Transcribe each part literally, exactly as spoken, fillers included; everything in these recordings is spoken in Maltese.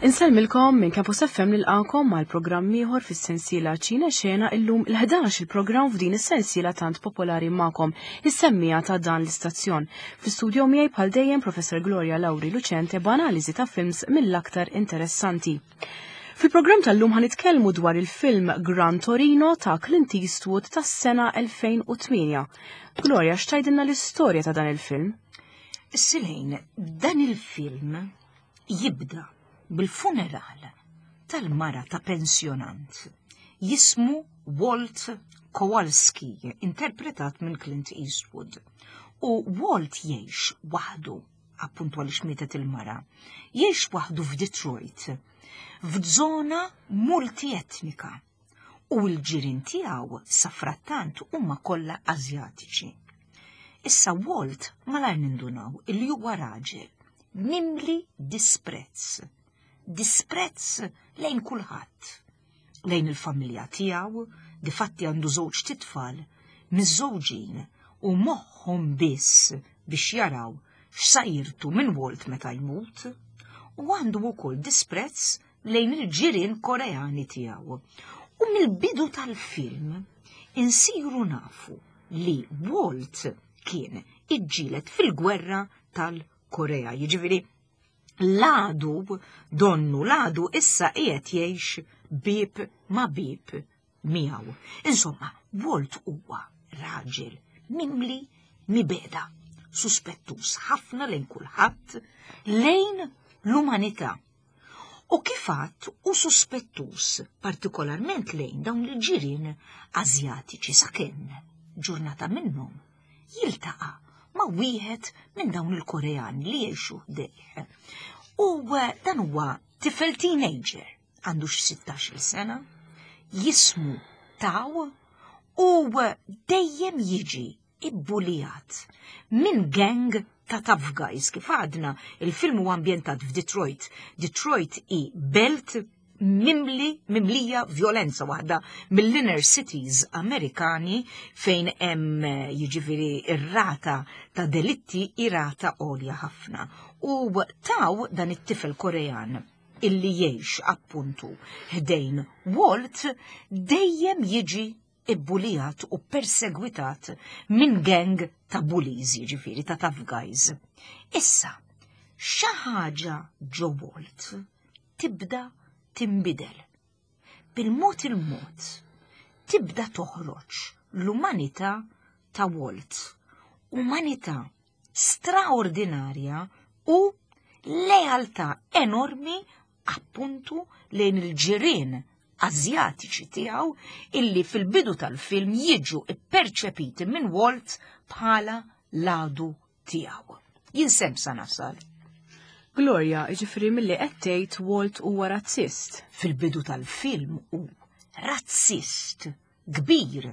Insellmilkom minn Campus F M, nilqakom mal programm ieħor fis-sensiela Ċine Xena, illum il-ħdax il-programm f'din is-sensiela tant popolari magħkom, is-semmiegħa ta' dan l-istazzjon. Fl-istudio miegħi bħal dejjem Professor Gloria Lauri Lucente b'analiżi ta' films mill-aktar interessanti. Fil-programm tal-lum ħa nitkellmu dwar il-film Gran Torino ta' Clint Eastwood tas-sena elfejn u tmienja. Gloria, x'tgħidilna l-istorja ta' dan il-film? Silejn, dan il-film jibda bil-funeral tal-mara ta' pensjonant jismu Walt Kowalski, interpretat minn Clint Eastwood. U Walt jgħix waħdu, appuntu għaliex mietet il-mara, jgħix waħdu f'Detroit, f'żona multietnika, u l-ġirien tiegħu safrattant huma kollha Azjatiċi. Issa Walt malajr nindunaw illi huwa raġel mimli disprezz. Disprezz lejn kulħadd. Lejn il-familja tiegħu, difatti għandu żewġ titfal miżżewġin u moħħhom biss biex jaraw x'sa jirtu minn Walt meta jmut, u għandu wkoll disprezz lejn il-ġirien Koreani tiegħu. U mill-bidu tal-film insiru nafu li Walt kien iġġieled fil-gwerra tal-Korea. Jiġifieri l-għadu, donnu l-għadu issa qiegħed jgħix bib ma bib miegħu. Insomma, Walt huwa raġel mimli mibegħda, suspettus ħafna lejn kulħadd, lejn l-umanità. U kif għedt, hu suspettus partikolarment lejn dawn il-ġirien Azjatiċi, sakemm ġurnata minnhom jiltaqa' ma' wieħed minn dawn il-Koreani li jgħixu ħdejh. U eh, dan huwa tifel teenager, għandu xi sittax-il sena, jismu Taw, u eh, dejjem jiġi ibbulijat minn gang ta' tough guys. Kif għadna, il-film huwa ambjentat f'Detroit. Detroit hi belt mimli, mimlija violenza, waħda mill-inner cities Amerikani fejn hemm eh, jiġifieri ir-rata ta' delitti hi rata għolja ħafna. U Taw, dan it-tifel Korean illi jgħix appuntu ħdejn Walt, dejjem jiġi ibbulijat u persegwitat minn gang ta' bullies, jiġifieri ta' tough guys. Issa, xi ħaġa ġo Walt tibda timbidel. Bil-mod il-mod tibda toħroġ l-umanità ta' Walt. Umanità straordinarja u lealtà enormi appuntu lejn il-ġirien Azjatiċi tiegħu illi fil-bidu tal-film jiġu perċepiti minn Walt bħala l-għadu tiegħu. Jien s'hemm sa nasal. Gloria, ġifieri milli qed tgħid Walt huwa razzist. Fil-bidu tal-film hu razzist kbir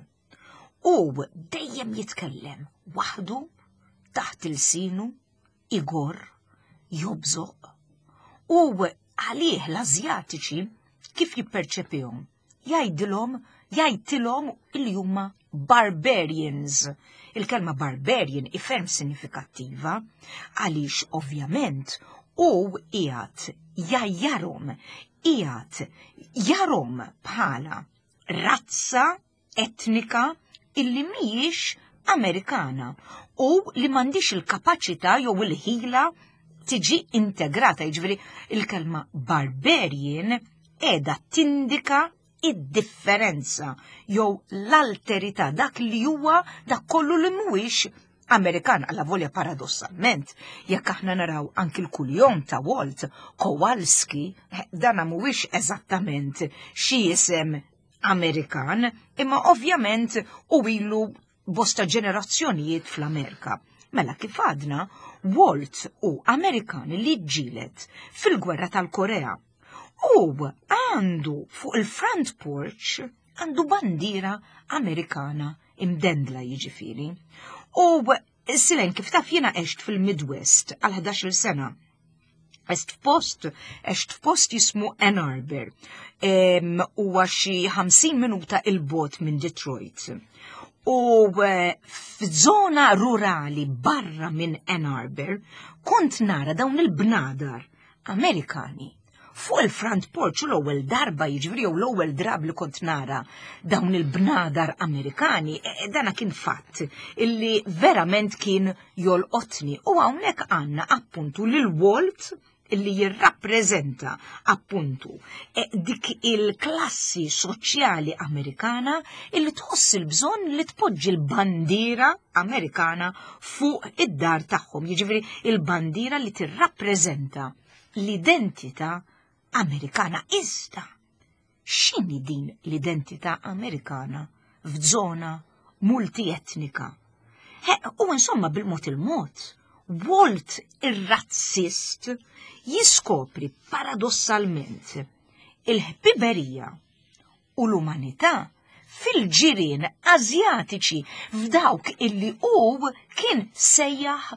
u dejjem jitkellem waħdu taħt ilsienu, igor, jobżoq. U għalih l-Azjatiċi kif jipperċepihom? Jgħidilhom, jgħidilhom illi huma barbarians. Il-kelma barbarian hi ferm sinifikattiva għaliex ovvjament hu qiegħed jgħajjarhom, qiegħed jarahom bħala razza etnika illi mhijiex Amerikana u li m'għandhiex il-kapaċità jew il-ħila tiġi integrata. Jiġifieri il-kelma barbarian qiegħda tindika id-differenza jew l-alterità, dak li huwa dak kollu li mhuwiex Amerikan, alla volja paradossalment, jekk aħna naraw anki l-kuljom ta' Walt, Kowalski, eh, dana mhuwiex eżattament xi isem Amerikan, imma ovvjament u ilu bosta ġenerazzjonijiet fl-Amerika. Mela kif għadna, Walt hu Amerikan li ġġieled fil-gwerra tal-Korea. U għandu fuq il-front porch għandu bandiera Amerikana imdendla, jiġifieri. U Silen, kif taf, jiena għext fil-Midwest għal ħdax-il sena. Għext f'post, għext f'post jismu Ann Arbor. Huwa xi ħamsin minuta 'il bogħod minn Detroit. U eh, f'żona rurali barra minn Ann Arbor kont nara dawn il-bnadar Amerikani. Fuq il-front porch, u l-ewwel darba, jiġifieri jew l-ewwel drab li kont nara dawn il-bnadar Amerikani, e, e, dana kien fatt illi verament kien jolqotni. U hawnhekk għandna appuntu lil Walt illi jirrappreżenta appuntu e, dik il-klassi soċjali Amerikana illi tħoss il-bżonn li tpoġġi l-bandiera Amerikana fuq id-dar tagħhom, jiġifieri il-bandiera li tirrappreżenta l-identità Amerikana. Iżda, x'inhi din l-identità Amerikana f'żona multietnika? U insomma, bil-mod il-mod, Walt ir-razzist jiskopri paradossalment il-ħbiberija u l-umanità fil-ġirien Azjatiċi, f'dawk illi hu kien sejjaħ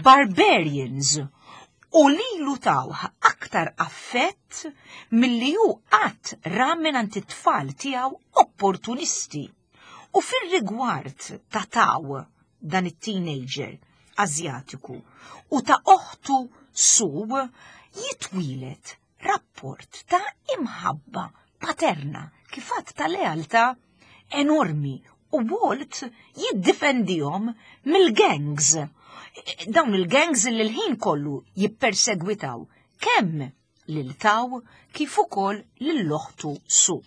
barbarians u lilu tawh aktar affett milli hu qatt ra minn it-tfal tiegħu opportunisti. U fil-rigward ta' Taw, dan it-teenager Azjatiku, u ta' oħtu Su, jitwieled rapport ta' imħabba paterna kif ta' lealtà enormi u Walt jiddifendihom mill-gangs. Dawn il-gangs li l-ħin kollu jippersegwitaw kemm lil Taw kif ukoll lil oħtu Su.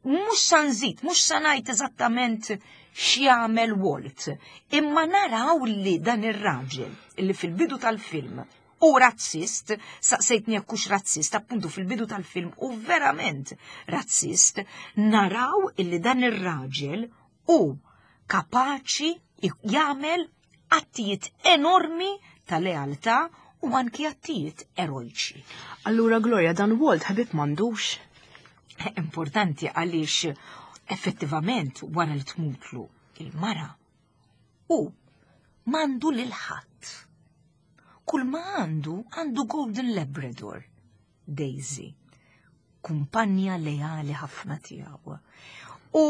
Mhux sa nżid, mhux sa ngħid eżattament x'jagħmel Walt, imma naraw li dan ir-raġel li fil-bidu tal-film u razzist, saqsejtni jekk hux razzist, appuntu fil-bidu tal-film u verament razzist, naraw illi dan ir-raġel u kapaċi jagħmel attijiet enormi ta' lealtà u anki attijiet erojċi. Allura Gloria, dan Walt ħabib m'għandux? Importanti, għaliex effettivament wara li tmutlu il-mara u m'għandu lil ħadd. Kull ma għandu, għandu Golden Labrador, Daisy, kumpanja leali ħafna tiegħu. U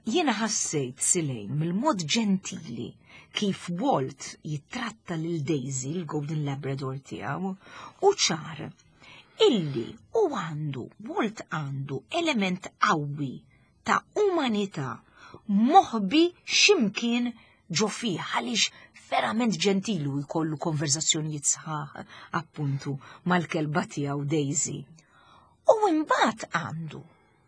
jiena ħassejt silejn mill-mod ġentili kif Walt jitratta lil Daisy, il-Golden Labrador tiegħu, u ċar illi u għandu, Walt għandu element qawwi ta' umanità moħbi ximkien ġo fih, għaliex verament ġentili u jkollu konverzazzjonijiet sħaħ appuntu mal-kelba tiegħu Daisy. U imbagħad għandu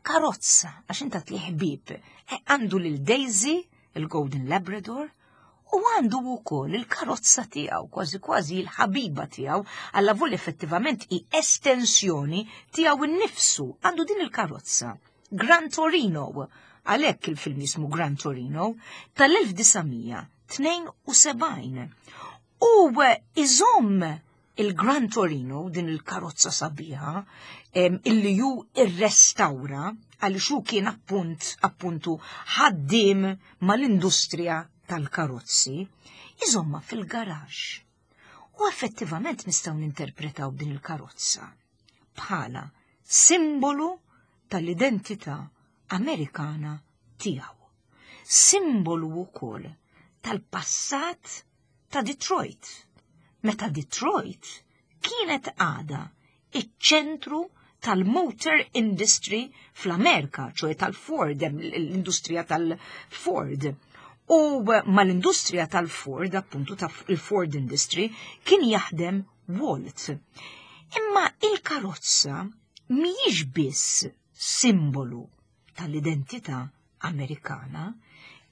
karozza, għax inta tli ħbieb, e, għandu lil Daisy, il-Golden Labrador, u għandu wkoll il-karozza tiegħu, kważi kważi il-ħabiba tiegħu, alla volja effettivament i estensjoni tiegħu innifsu, għandu din il-karozza. Gran Torino, għalhekk il-film jismu Gran Torino, tal-elf disa' mija tnejn u sebgħin. U iżomm il-Gran Torino, din il-karozza sabiħa, illi ju irrestawra, għaliex hu kien appunt, appuntu ħaddim mal-industrija tal-karozzi, iżomma fil-garax. U effettivament nistgħu ninterpretaw din il-karozza bħala simbolu tal-identità Amerikana tiegħu. Simbolu wkoll tal-passat ta' Detroit. Meta Detroit kienet għada iċ-ċentru tal-motor industry fl-Amerika, ċoè tal-Ford, l-industrija tal-Ford. U mal-industrija tal-Ford, appuntu tal-Ford industry, kien jaħdem Walt. Imma il-karozza mhijiex biss simbolu tal-identità Amerikana,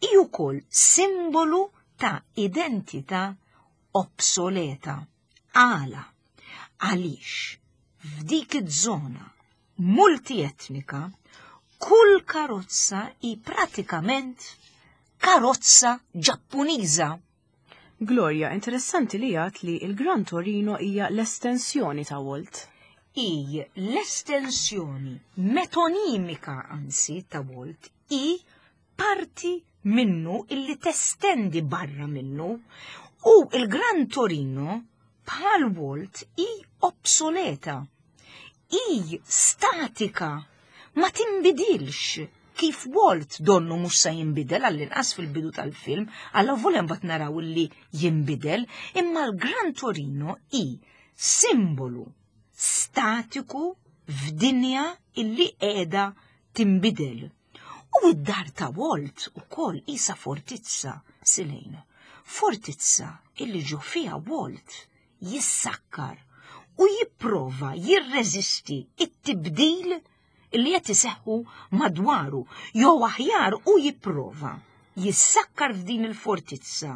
hi wkoll simbolu ta' identità obsoleta. Għala? Għaliex f'dik iż-żona multietnika kull karozza hi pratikament karozza Ġappuniża. Gloria, interessanti li għat li il-Gran Torino hija l-estensjoni ta' Walt. Hi l-estensjoni metonimika anzi ta' Walt, hi parti minnu illi testendi barra minnu, u il-Gran Torino bħal Walt hi obsoleta, hi statika, ma tinbidilx kif Walt donnu mhux sa jinbidel, għall-inqas fil-bidu tal-film, alla volja mbagħad naraw li jinbidel, imma l-Gran Torino hi simbolu statiku f'dinja illi qiegħda tinbidel. U id-dar ta' Walt ukoll isa fortizza, Silejn. Fortizza illi ġo fiha Walt jissakkar u jipprova jirreżisti it-tibdil illi qed iseħħu madwaru, jew aħjar u jipprova jissakkar f'din il-fortizza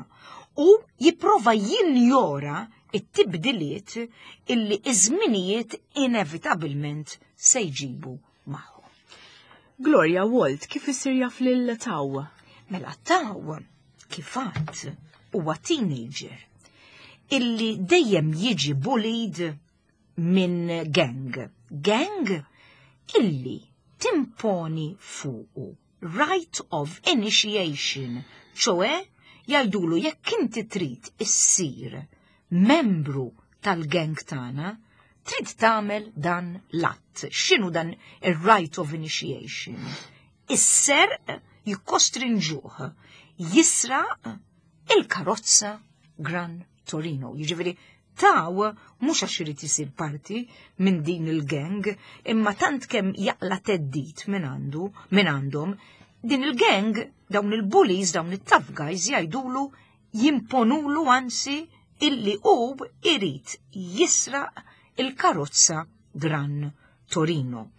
u jipprova jinjora it-tibdiliet illi iż-żminijiet inevitabilment se jġibu magħhom. Gloria, Walt kif isir jaf lil Tao? Mela Tao kif għadt huwa teenager illi dejjem jiġi bullied minn gang. Gang illi timponi fuqu rite of initiation, ċoè jgħidulu jekk inti trid issir membru tal-gang tagħna, trid tagħmel dan l-att. X'inhu dan ir-rite of initiation? Is-serq, jikkostrinġuh jisraq il-karozza Gran Torino. Jiġifieri Tao mhux għax irid isir parti minn din il-gang, imma tant kemm jaqla theddid minn għandu, minn għandhom, din il-gang, dawn il-bullies, dawn il-tough guys jgħidulu, jimponulu anzi illi hu irid jisraq il-karozza Gran Torino.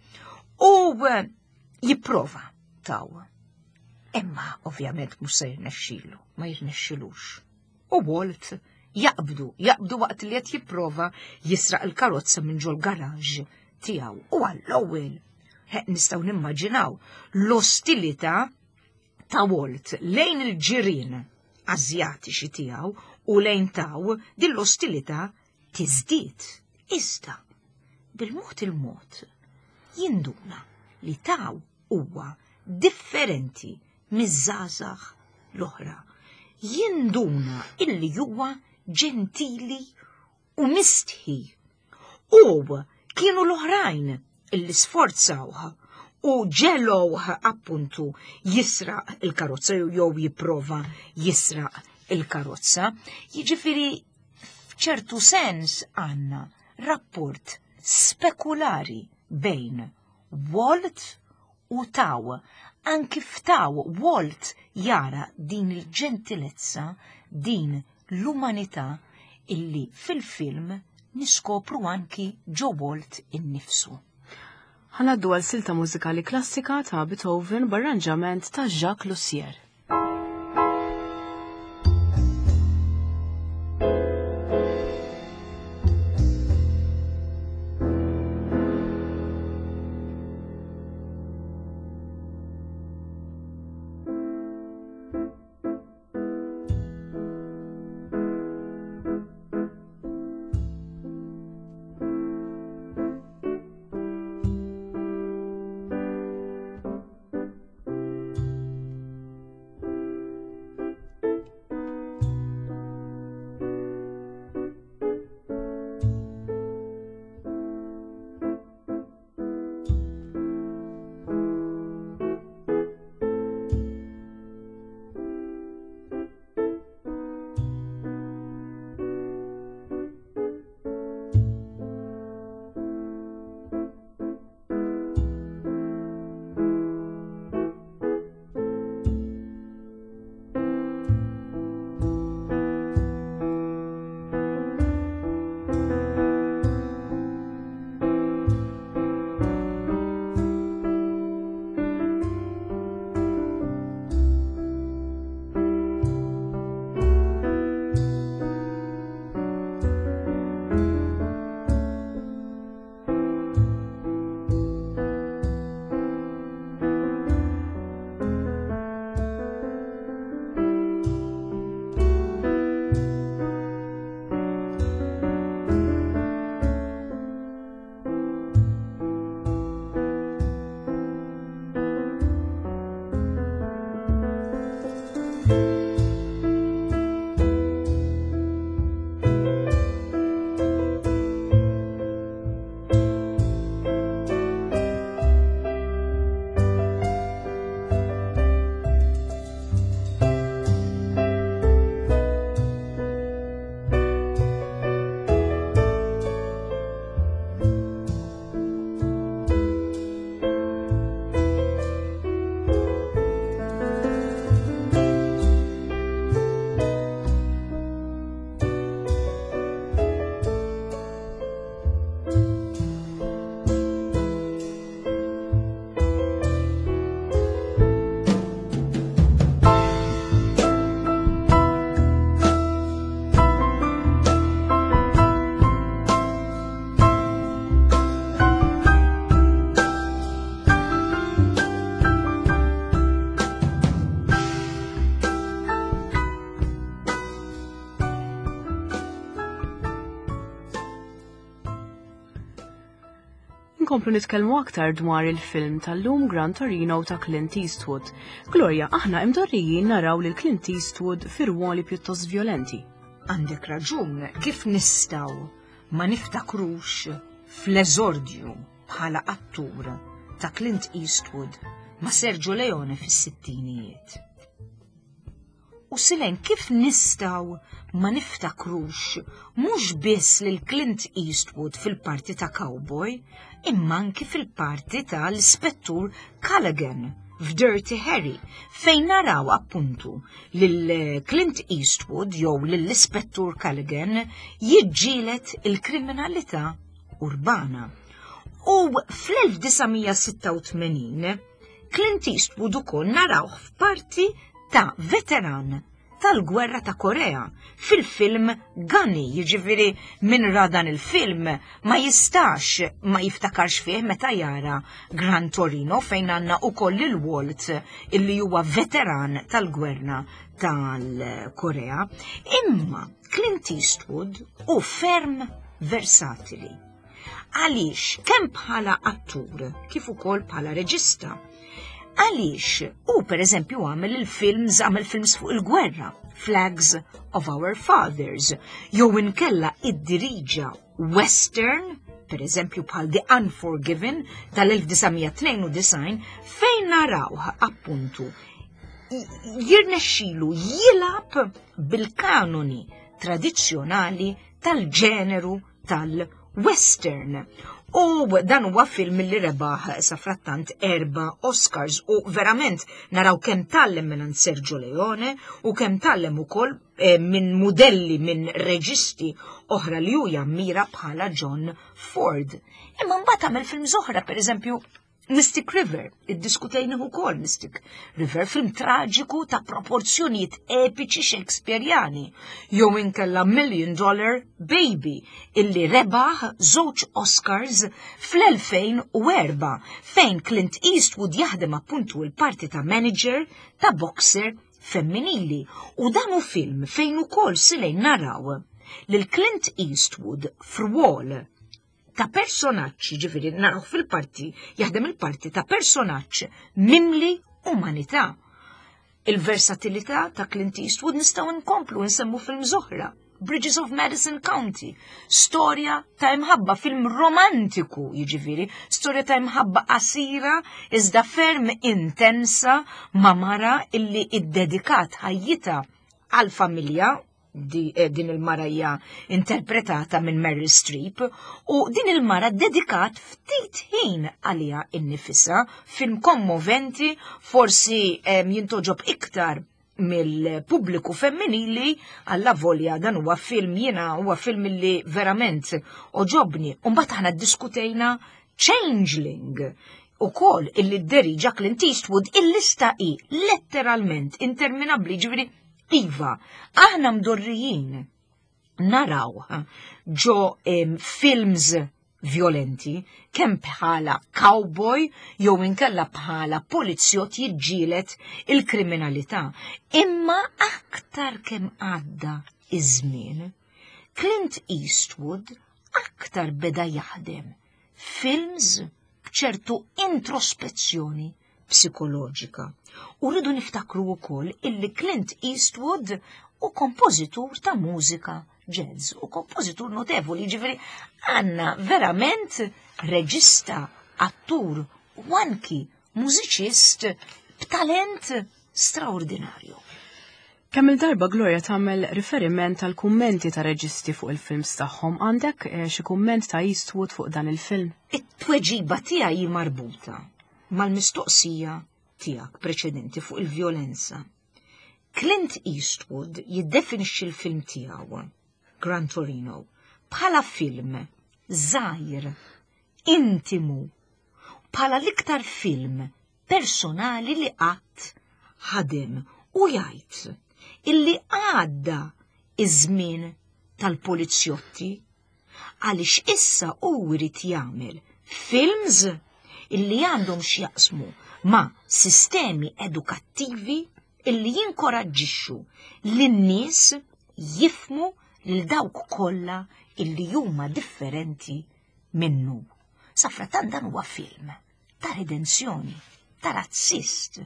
U eh, jipprova Tao. Imma ovvjament mhux se jirnexxilu, ma jirnexxilux. U Walt jaqbdu, jaqbdu waqt li qed jipprova jisraq il-karozza minn ġol garaġ tiegħu. U għall-ewwel nistgħu nimmaġinaw l-ostilità ta' Walt lejn il-ġirien Azjatiċi tiegħu u lejn Tao, din l-ostilità tiżdied. Iżda bil-mod il-mod jinduna li Tao huwa differenti miż-żgħażagħ l-oħra. Jinduna illi huwa ġentili u mistħi. U kienu l-oħrajn illi sforzawh u ġegħluh appuntu jisraq il-karozza jew jipprova jisraq il-karozza. Jiġifieri f'ċertu sens għandna rapport spekulari bejn Walt u Tao. Anki f'Tao Walt jara din il-ġentilezza, din l-umanità illi fil-film niskopru anki ġo Walt innifsu. Ħa ngħaddu għal silta mużikali klassika ta' Beethoven b'arranġament ta' Jacques Loussier. Inkomplu nitkellmu aktar dwar il-film tal-lum Gran Torino ta' Clint Eastwood. Gloria, aħna imdorrijin naraw lil Clint Eastwood fi rwoli pjuttost violenti. Għandek raġun, kif nistgħu ma niftakrux fl-eżordju bħala attur ta' Clint Eastwood ma' Sergio Leone fis-sittinijiet. U Silen, kif nistgħu ma niftakrux mhux biss lil Clint Eastwood fil-parti ta' cowboy, imma anki fil-parti tal-Ispettur Callaghan f'Dirty Harry, fejn naraw appuntu lil Clint Eastwood jew lill-Ispettur Callaghan jiġġieled il-kriminalità urbana. U fl-elf disa' mija sitta u tmenin Clint Eastwood ukoll narawh f'parti ta' veteran tal-gwerra ta' Korea fil-film Gunny, jiġifieri min ra dan il-film ma jistax ma jiftakarx fih meta jara Gran Torino, fejn għandna ukoll il-Walt illi huwa veteran tal-gwerra tal-Korea. Imma Clint Eastwood hu ferm versatili. Għaliex kemm bħala attur kif ukoll bħala reġista? Għaliex u per eżempju għamel il-films għamel films fuq il-gwerra, Flags of Our Fathers, jew inkella iddiriġa western, per eżempju bħal The Unforgiven tal-elf disa' mija tnejn u disgħin, fejn naraw appuntu jirnexxilu jilgħab bil-kanoni tradizzjonali tal-ġeneru tal-western. U dan huwa film li rebaħ safrattant erba Oscars u verament naraw kemm tgħallem minn Sergio Leone u kemm tgħallem ukoll eh, minn modelli, minn reġisti oħra li hu jammira bħala John Ford. Imma mbagħad għamel film oħra, per eżempju Mystic River, iddiskutejna ukoll Mystic River, film traġiku ta' proporzjonijiet epiċi Shakespeareani, jew inkella Million Dollar Baby, illi rebaħ żewġ Oscars fl-elfejn u erbgħa, fejn Clint Eastwood jaħdem appuntu il-parti ta' manager ta' boxer femminili. U dan hu film fejn ukoll silejn naraw lil Clint Eastwood f'rwol ta' personaġġ, ġifieri naraw fil-parti, jaħdem il-parti ta' personaġġ mimli umanità. Il-versatilità ta' Clint Eastwood nistgħu nkomplu nsemmu film oħra. Bridges of Madison County, storja ta' imħabba, film romantiku, jiġifieri, storja ta' imħabba qasira iżda ferm intensa ma' mara illi iddedikat ħajjitha għal-familja di, eh, din il-mara hija interpretata minn Meryl Streep u din il-mara dedikat ftit ħin għalija innifisha, film kommoventi, forsi eh, jintgħoġob iktar mill-pubbliku femminili, alla volja dan huwa film, jiena huwa film li verament għoġobni. Mbagħad aħna ddiskutejna Changeling ukoll illi dderiġa Clint Eastwood. Il-lista hi letteralment interminabli, ġifieri iva, aħna mdorrijin naraw ġo em, films violenti, kemm bħala cowboy jew inkella bħala polizzjott jiġġieled il-kriminalità. Imma aktar kemm għadda iż-żmien, Clint Eastwood aktar beda jaħdem films b'ċertu introspezzjoni psikoloġika. U rridu niftakru wkoll illi Clint Eastwood hu kompożitur ta' mużika jazz u kompożitur notevoli, ġifieri għandna verament reġista, attur u anki mużiċist b'talent straordinarju. Kemm il-darba, Gloria, tagħmel riferiment għal kummenti ta' reġisti fuq il-films tagħhom. Għandek eh, xi kumment ta' Eastwood fuq dan il-film? It-tweġiba tiegħi marbuta mal-mistoqsija tiegħek preċedenti fuq il-vjolenza. Clint Eastwood jiddefinixxi l-film tiegħu, Gran Torino, bħala film żgħir, intimu, bħala l-iktar film personali li qatt ħadem, u jgħid illi għadda iż-żmien tal-polizjotti għaliex issa hu jrid jagħmel films illi għandhom x'jaqsmu ma' sistemi edukattivi illi jinkoraġġixxu lin-nies jifhmu lil dawk kollha illi huma differenti minnu. Safratan dan huwa film ta' redenzjoni, ta' razzist,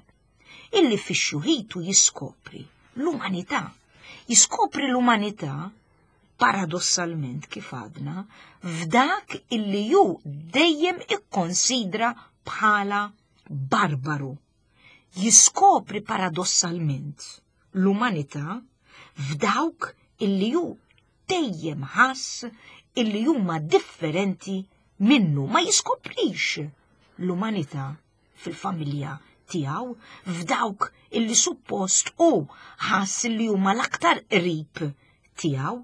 illi fix-xjuħitu jiskopri l-umanità. Jiskopri l-umanità paradossalment kif għadna f'dak illi ju dejjem ikkonsidra bħala barbaru. Jiskopri paradossalment l-umanità f'dawk illi ju dejjem ħass illi huma differenti minnu, ma jiskoprix l-umanità fil-familja tiegħu f'dawk illi suppost u ħass illi huma l-aktar qrib tiegħu,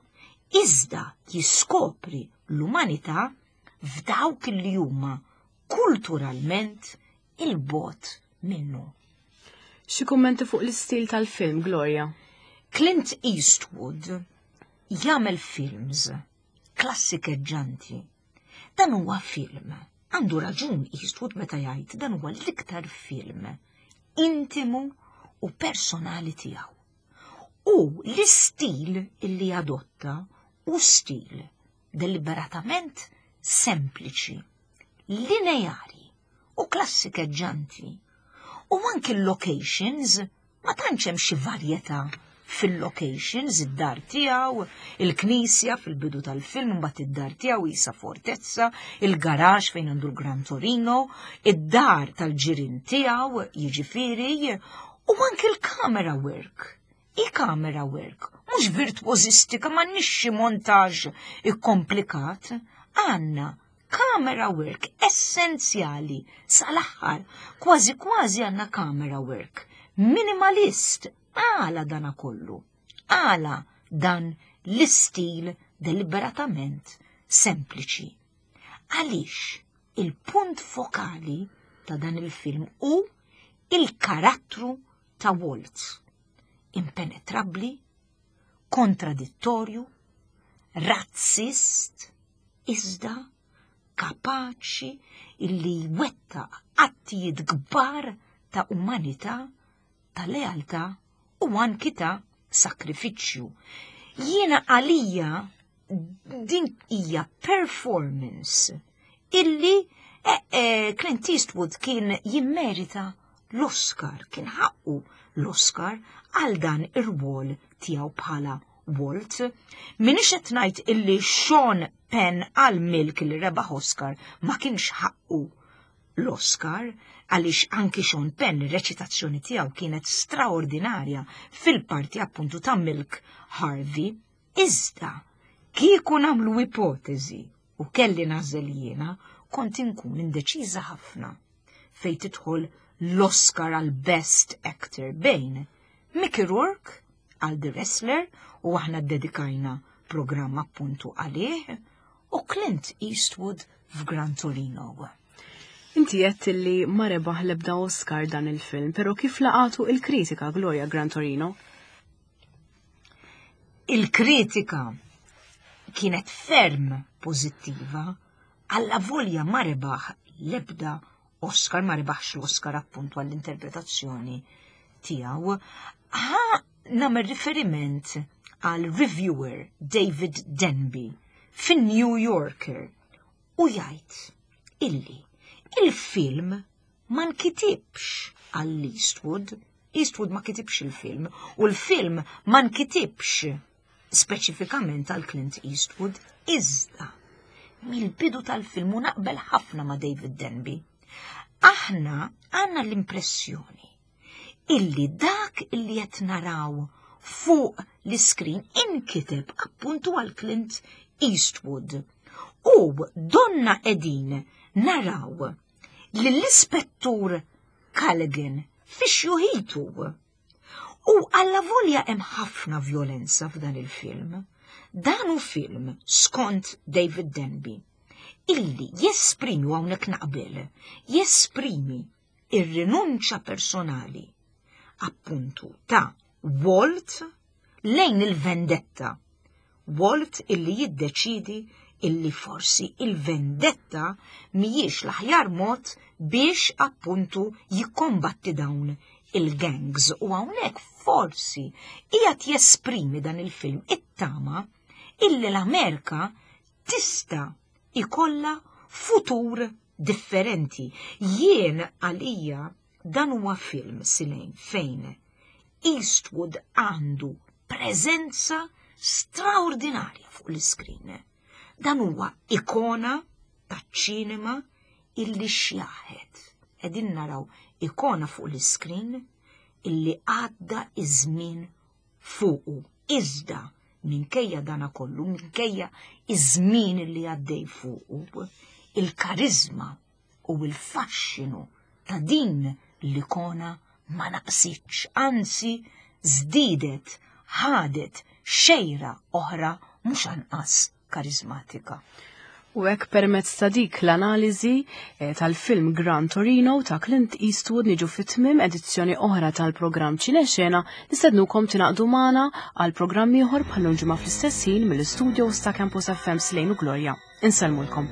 iżda jiskopri l-umanità f'dawk illi huma kulturalment il-bot minnu. Xi kummenti fuq l-istil tal-film, Gloria? Clint Eastwood jagħmel films klassikeġġanti. Dan huwa film. Għandu raġun Eastwood meta jgħid dan huwa l-iktar film intimu u personali tiegħu. U l-istil illi adotta u stil deliberatament sempliċi, lineari u klassikeġġanti. U anki l-locations ma tantx hemm xi varjetà fil-locations, id-dar tiegħu, il-knisja fil-bidu tal-film, mbagħad id-dar tiegħu jisa fortezza, il-garax fejn għandu l-Gran Torino, id-dar tal-ġirien tiegħu, jiġifieri, u anki l-camera work. I-camera work, mhux virtuosistika, m'għandniex xi montaġġ ikkomplikat, għandna camera work essenzjali sal-aħħar, kważi kważi għandna camera work minimalist. Għala dana kollu? Għala dan l-istil deliberatament sempliċi? Għaliex il-punt fokali ta' dan il-film hu il-karattru ta' Walt. Impenetrabli, kontradittorju, razzist, iżda kapaċi illi jwettaq attijiet kbar ta' umanità, ta' lealtà u anki ta' sakrifiċċju. Jiena għalija din hija performance illi eh, eh, Clint Eastwood kien jimmerita l-Oscar, kien ħaqqu l-Oscar għal dan ir-rwol tiegħu bħala Walt. Minix qed ngħid illi Sean Penn għal Milk li rebaħ Oscar ma kienx ħaqqu l-Oscar, għaliex anki Sean Penn ir-reċitazzjoni tiegħu kienet straordinarja fil-parti appuntu ta' Milk Harvey. Iżda kieku nagħmlu ipotezi u kelli nagħżel jiena, kont inkun indeċiża ħafna fejn tidħol l-Oscar għal Best Actor bejn Mickey Rourke għal The Wrestler, u aħna dedikajna programm appuntu għalih, u Clint Eastwood f'Gran Torino. Inti għedt li ma rebaħ l-ebda Oscar dan il-film, pero kif laqatu il-kritika, Gloria, Gran Torino? Il-kritika kienet ferm pożittiva, alla volja ma rebaħ l-ebda Oscar, ma rebaħx l-Oscar appuntu għall-interpretazzjoni tiegħu. Ħa nagħmel riferiment għal reviewer David Denby fin-New Yorker u jgħid illi il-film ma nkitibx għall Eastwood, Eastwood ma kitibx il-film u l-film ma nkitibx speċifikament għal Clint Eastwood, iżda mill-bidu tal-film, u naqbel ħafna ma' David Denby, aħna għandna l-impressjoni illi dak illi qed naraw fuq l-iskrin inkiteb appuntu għal Clint Eastwood. U donna qegħdin naraw lill-ispettur Callaghan fi xjuħitu. U alla volja hemm ħafna violenza f'dan il-film. Dan hu film, skont David Denby, illi jesprimi, u hawnhekk naqbel, jesprimi ir-rinunċa personali appuntu ta' Walt lejn il-vendetta. Walt illi jiddeċidi illi forsi il-vendetta mhijiex l-aħjar mod biex appuntu jikkombatti dawn il-gangs. U hawnhekk forsi qiegħed jesprimi dan il-film it-tama illi l-Amerika tista' ikolla futur differenti. Jien għalija dan huwa film silejn fejn Eastwood għandu preżenza straordinarja fuq l-iskrin. Dan huwa ikona taċ-ċinema illi xjaħet. Qegħdin naraw ikona fuq l-iskrin illi għadda iż-żmien fuqu. Iżda minkejja dana kollu, minkejja iż-żmien illi għaddej fuqu, il-karizma u il-faxxinu ta' din l-ikona ma naqsitx, anzi żdiedet, ħadet xejra oħra mhux anqas karizmatika. U hekk permezz ta' dik l-analiżi eh, tal-film Gran Torino ta' Clint Eastwood niġu fit-tmiem edizzjoni oħra tal-programm Ċinexena. Nistednukom tingħaqdu magħna għal programm ieħor bħal ġimgħa fl-istess ħin mill-istudios ta' Campus F M Slejn u Gloria. Insellmulkom.